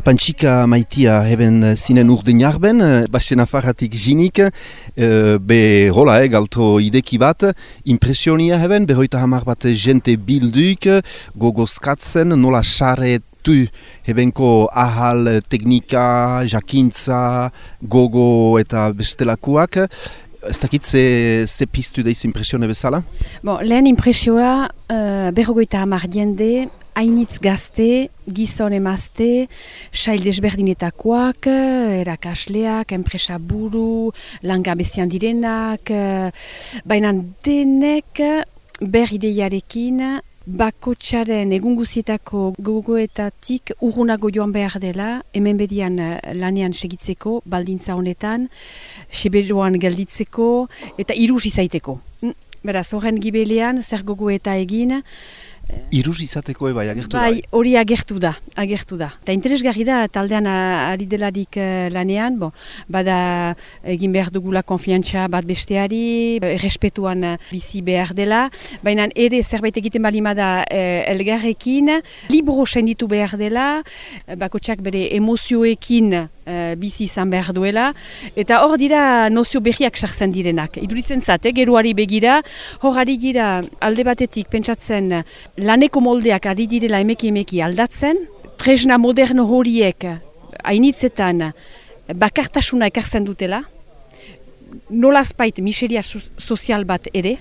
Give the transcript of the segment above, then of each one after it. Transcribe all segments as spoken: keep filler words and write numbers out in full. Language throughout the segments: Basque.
Pantxika maitia heben zinen urdin jarben, basen afarratik jinik, e, be hola, eh, galto ideki bat, impresionia heben, behoita hamar bat jente bilduk, gogozkatzen, nola xare tu hebenko ahal, teknika, jakintza, gogo eta bestelakuak. Ez dakit ze, ze piztu deiz impresione bezala? Bon, lehen impresioa uh, berrogoita hamar jende, hainitz gazte, gizon emazte, sail desberdinetakoak, erakasleak, enpresa buru, langabezian direnak, baina denek ber ideiarekin, bakotxaren egun guzietako gogoetatik urrunago joan behar dela, hemen bedian lanean segitzeko, baldintza honetan, Siberuan gelditzeko eta iruz izaiteko. Beraz, horren gibelean, zer gogoeta egin, Iruz izateko ebai, agertu da? Bai, hori agertu da, agertu da. Eta interesgarri da, taldean ari delarik lanean, bon, bada egin behar dugula konfiantza bat besteari, errespetuan bizi behar dela, baina ere zerbait egiten balima da eh, elgarrekin, libro senditu behar dela, bakotxak bere emozioekin eh, bizi izan behar duela, eta hor dira nozio berriak sartzen direnak. Iduritzen zate, geroari begira, hor ari gira alde batetik pentsatzen laneko moldeak ari direla emeki emeki aldatzen, tresna moderno horiek hainitzetan bakartasuna ekartzen dutela, nolazpait miseria sozial bat ere,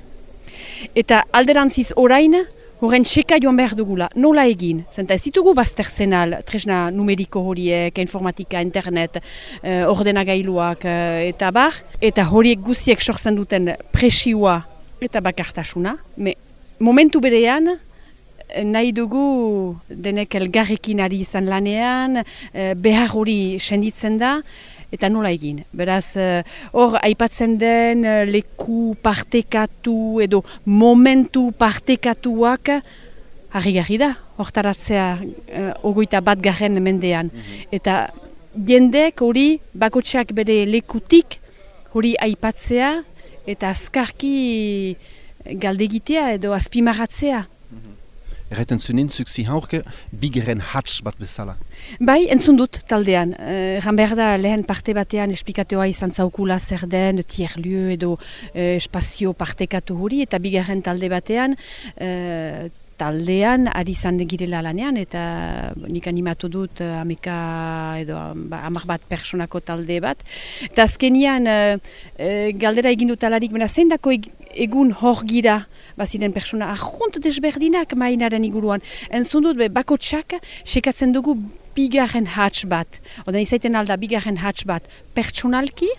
eta alderantziz orain, horren txeka joan behar dugula, nola egin? Zenta ez ditugu baztertzen al, tresna numeriko horiek, informatika, internet, eh, ordenagailuak eh, eta bar, eta horiek guziek sortzen duten presioa eta bakartasuna, me momentu berean, nahi dugu denek elgarrekin ari izan lanean, behar hori senditzen da, eta nola egin. Beraz, hor aipatzen den leku partekatu edo momentu partekatuak harri-garri da, hortaratzea ogoita bat garren mendean. Eta jendek hori bakotxak bere lekutik hori aipatzea eta azkarki galdegitea edo azpimarratzea. Erraiten zunen, zuk zihaurke, bigeren hats bat bezala. Bai, entzun dut taldean. Erran behar da lehen parte batean esplikatoa izan zaukula zer den, tierlieu edo eh, espazio partekatu hori, eta bigeren talde batean, eh, taldean ari izan girela lanean, eta nik animatu dut ameka edo hamar bat personako talde bat. Eta azkenian eh, eh, galdera egin dut alarik, bena zein dako egun hor gira, baziren persona ahont desberdinak mainaren iguruan. Entzun dut, bakotxak sekatzen dugu bigarren hats bat. Oda izaiten alda bigarren hats bat pertsonalki,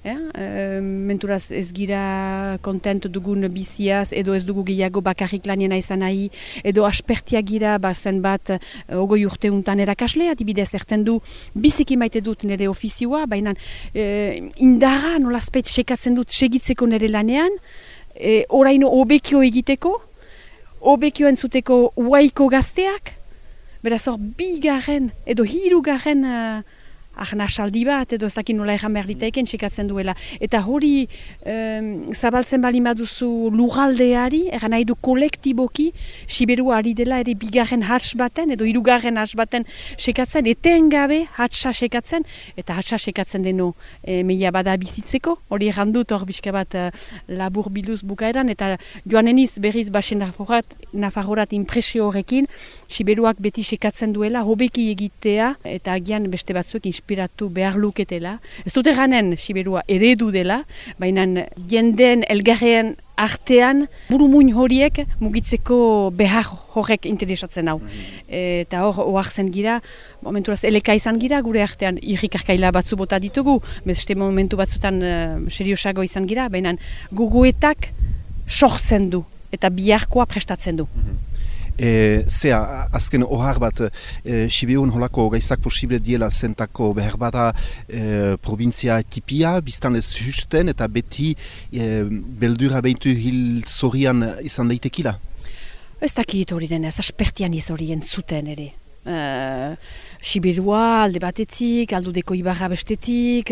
ja, e, menturaz ez gira kontent dugun biziaz, edo ez dugu gehiago bakarrik lanena izan nahi, edo aspertia gira, bazen bat ogoi urte untan erakaslea, adibidez erten du biziki maite dut nire ofizioa, baina e, indara nolazpeit sekatzen dut segitzeko nire lanean, E, oraino obekio egiteko, obekio entzuteko uaiko gazteak, beraz hor bigarren edo hirugarren uh, arnasaldi bat, edo ez dakit nola erran behar ditaiken sekatzen duela. Eta hori um, zabaltzen bali maduzu lurraldeari, erran nahi du kolektiboki, Siberua ari dela ere bigarren hats baten, edo hirugarren hats baten sekatzen, etengabe hatsa sekatzen, eta hatsa sekatzen deno e, meia bada bizitzeko, hori erran dut hor bizka bat uh, labur biluz bukaeran, eta joaneniz berriz basen nafarrorat impresio horrekin, Siberuak beti sekatzen duela, hobeki egitea, eta agian beste batzuek inspiratu behar luketela. Ez dut erranen Siberua eredu dela, baina jenden elgarrean artean burumuin horiek mugitzeko behar horrek interesatzen hau. Eta hor, oartzen gira, momenturaz eleka izan gira, gure artean irrikarkaila batzu bota ditugu, beste momentu batzutan uh, seriosago izan gira, baina gogoetak sortzen du eta biharkoa prestatzen du. E, zea, azken ohar bat, e, Siberun holako gaizak posible diela zentako behar bada e, provintzia tipia, biztan ez husten eta beti e, beldura behintu hil zorian izan daitekila? Ez dakit hori denez, aspertian ez horien zuten ere. Uh, Sibirua alde batetik, aldudeko ibarra bestetik,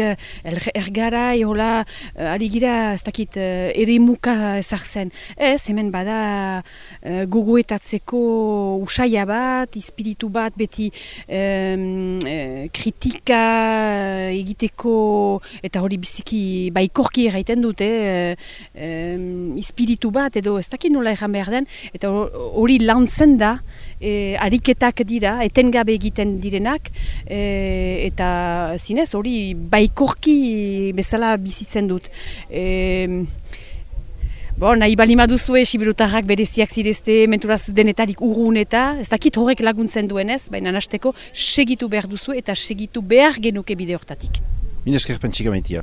ergarai, hola, ari gira, ez dakit, erimuka ezartzen. Ez, hemen bada gogoetatzeko usaia bat, espiritu bat, beti um, kritika egiteko, eta hori biziki baikorki erraiten dute, um, espiritu bat, edo ez dakit nola erran behar den, eta hori lantzen da, e, ariketak dira, etengabe egiten direnak, e, eta zinez hori baikorki bezala bizitzen dut. E, Bon, nahi bali maduzue, sibirutarrak bereziak zirezte, menturaz denetarik urrun eta, ez dakit horrek laguntzen duenez, baina nasteko segitu behar duzu eta segitu behar genuke bide hortatik. Minesker pentsika maitia.